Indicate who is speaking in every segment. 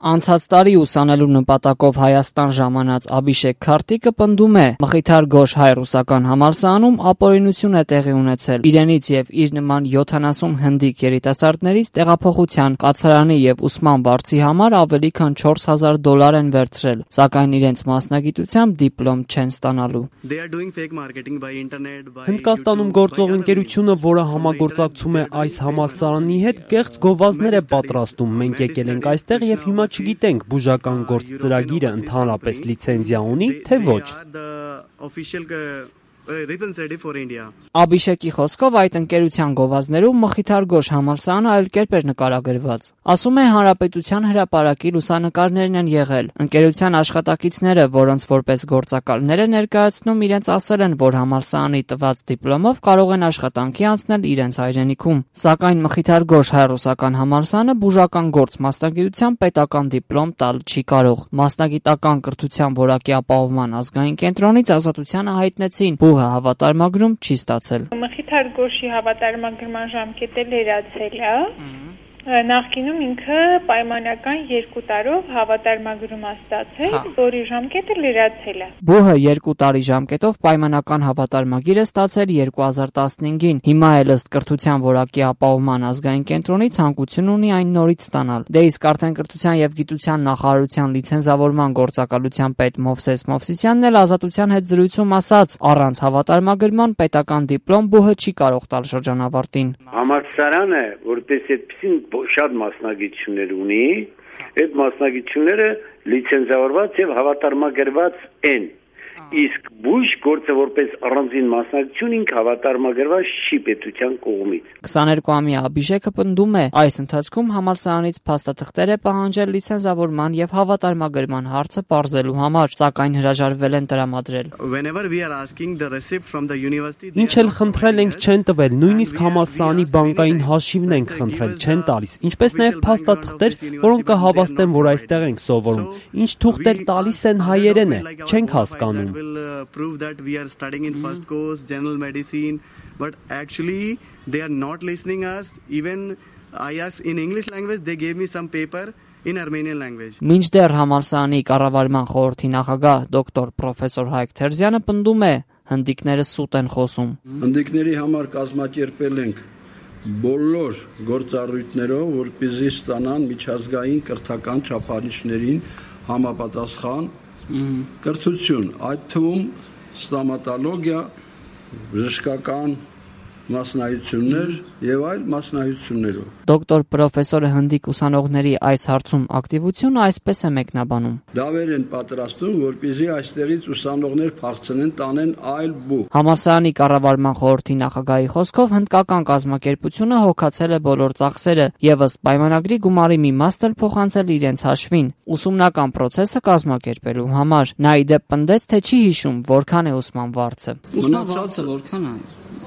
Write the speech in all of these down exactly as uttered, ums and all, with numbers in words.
Speaker 1: Անցած տարի ուսանելու նպատակով Հայաստան ժամանած Աբիշեկ Քարտիկը պնդում է, Մխիթար Գոш հայ-ռուսական համալսարանում ապօրինություն է տեղի ունեցել իրենից եւ իր նման յոթանասուն հնդիկ երիտասարդներից տեղափոխության, կացարանի եւ ուսման վարձի համար ավելի քան չորս հազար դոլար են վերցրել, սակայն իրենց մասնագիտությամբ դիպլոմ չեն ստանալու։
Speaker 2: Հնդկաստանում գործող ընկերությունը, որը համագործակցում է այս համալսարանի հետ, կեղծ գովազդներ է պատրաստում։ Մենք եկել ենք այստեղ եւ հիմա չգիտենք բուժական գործ ծրագիրը ընդհանրապես լիցենզիա ունի, թե ոչ։
Speaker 1: Աբիշեկի խոսքով այդ ընկերության գովազդներում Մխիթար Գոշ համալսարանը այլ կերպ էր նկարագրված։ Ասում է, Հանրապետության հրապարակի լուսանկարներն են եղել։ Ընկերության աշխատակիցները, որոնց որպես գործակալներ է ներկայացնում, իրենց ասել են, որ համալսարանի տված դիպլոմով կարող են աշխատանքի անցնել իրենց հայրենիքում։ Սակայն Մխիթար Գոշ հայ-ռուսական համալսարանը բուժական գործ մասնագիտությամբ պետական դիպլոմ տալ չի կարող։ Մասնագիտական կրթության որակի ապահովման ազգային կենտրոնից Ազատությանը հայտնեցին, բուհը հավատարմագրում չի ստացել։
Speaker 3: Մխիթար Գոշի հավատարմագրման ժամկետը լրացել է։ Նախկինում ինքը պայմանական երկու տարով հավատարմագրում է ստացել, որի ժամկետը լրացել է։
Speaker 1: Բուհը երկու տարի ժամկետով պայմանական հավատարմագիր է ստացել երկու հազար տասնհինգին։ Հիմա էլ ըստ կրթության որակի ապահովման ազգային կենտրոնի ցանկություն ունի այն նորից ստանալ։ Դե իսկ արդեն կրթության եւ գիտության նախարարության լիցենզավորման գործակալության պետ Մովսես Մովսիսյանն էլ Ազատության հետ զրույցում ասաց, առանց հավատարմագրման պետական դիպլոմ բուհը չի կարող տալ շրջանավարտին։
Speaker 4: Համալսարանը, որպես այդպեսին շատ մասնագիտություններ ունի, այդ մասնագիտությունները լիցենզավորված եւ հավատարմագրված են։ Իսկ բուժ գործը որպես առանձին մասնագիտություն ինքը հավատարմագրված չի պետության կողմից։
Speaker 1: քսաներկուամյա Աբիշեկը պնդում է, այս ընթացքում համալսարանից փաստաթղթեր է պահանջել լիցենզավորման եւ հավատարմագրման հարցը պարզելու համար, սակայն հրաժարվել են տրամադրել։
Speaker 2: Ինչ էլ խնդրել ենք, չեն տվել, նույնիսկ համալսարանի բանկային հաշիվն ենք խնդրել, չեն տալիս, ինչպես նաեւ փաստաթղթեր, որոնք կհավաստեն, որ այստեղ ենք սովորում։ Ինչ թուղթեր տալիս են հայերեն է, չենք հասկանում։
Speaker 5: will uh, prove that we are studying in first course general medicine, but actually they are not listening us. Even I asked in English language, they gave me some paper in Armenian language.
Speaker 1: Մինչդեռ համալսարանի կառավարման խորհրդի նախագահ դոկտոր պրոֆեսոր Հայկ Թերզյանը պնդում է, հնդիկները սուտ են խոսում։
Speaker 6: Հնդիկների համար կազմակերպել ենք բոլոր գործառույթներով, որպեսզի ստանան միջազգային կրթական չափանիշներին համապատասխան կրթություն, այդ թվում ստոմատոլոգիա, բժշկական մասնագիտություններ եւ այլ մասնագիտություններով։
Speaker 1: Դոկտոր պրոֆեսորը հնդիկ ուսանողների այս հարցում ակտիվությունը այսպես է մեկնաբանում։
Speaker 6: Դավեր են պատրաստում, որպեսզի այստեղից ուսանողներ փախցնեն, տանեն այլ բուհ։
Speaker 1: Համալսարանի կառավարման խորհրդի նախագահի խոսքով հնդկական կազմակերպությունը հոգացել է բոլոր ծախսերը եւ ըստ պայմանագրի գումարի մի մասն էլ փոխանցել իրենց հաշվին ուսումնական process-ը կազմակերպելու համար։ Նա ի դեպ պնդեց, թե չի հիշում որքան է ուսման վարձը։
Speaker 7: Ուսման վարձը որքան է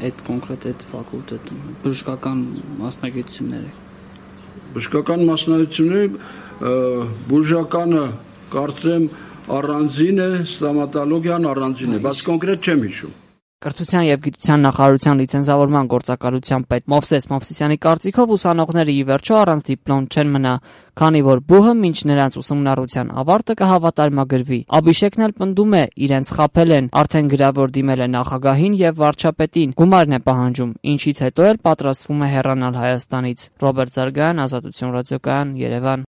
Speaker 7: այդ կոնկրետ այդ ֆակուլտետում, բժշկական մասնագիտությունները։
Speaker 6: Բժշկական մասնագիտությունները բուժականը կարծեմ առանձին է, ստոմատոլոգիան առանձին է, բայց կոնկրետ չեմ հիշում։
Speaker 1: Կրթության եւ գիտության նախարարության լիցենզավորման գործակալության պետ Մովսես Մովսիսյանի կարծիքով ուսանողները ի վերջո առանց դիպլոմ չեն մնա, քանի որ բուհը մինչ նրանց ուսումնառության ավարտը կհավատարմագրվի։ Աբիշեկն էլ պնդում է, իրենց խաբել են, արդեն գրավոր դիմել է նախագահին եւ վարչապետին, գումարն է պահանջում, ինչից հետո էլ պատրաստվում է հեռանալ Հայաստանից։ Ռոբերտ Զարգայան, Ազատություն ռադիոկայան, Երևան։